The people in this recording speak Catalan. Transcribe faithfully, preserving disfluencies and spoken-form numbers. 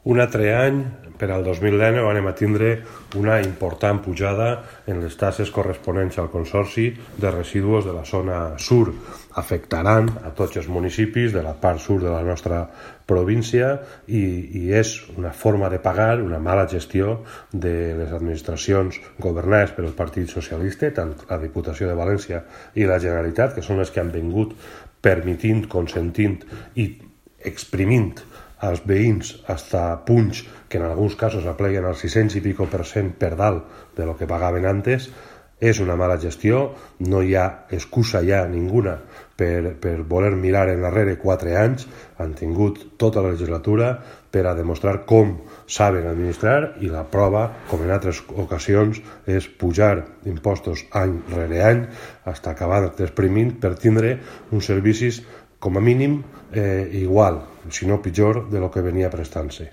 Un altre any, per al dos mil dinou, anem a tindre una important pujada en les taxes corresponents al Consorci de Residus de la zona sur. Afectaran a tots els municipis de la part sur de la nostra província i, i és una forma de pagar una mala gestió de les administracions governades pel Partit Socialista, tant la Diputació de València i la Generalitat, que són les que han vingut permitint, consentint i exprimint als veïns hasta punts que en alguns casos apleguen al sis-cents i pico per cent per dalt de lo que pagaven antes. És una mala gestió, no hi ha excusa ja ninguna per, per voler mirar enrere quatre anys. Han tingut tota la legislatura per a demostrar com saben administrar i la prova, com en altres ocasions, és pujar impostos any rere any fins a acabar desprimint per tindre uns servicis com a mínim eh, igual, si no pitjor, de lo que venia prestant-se.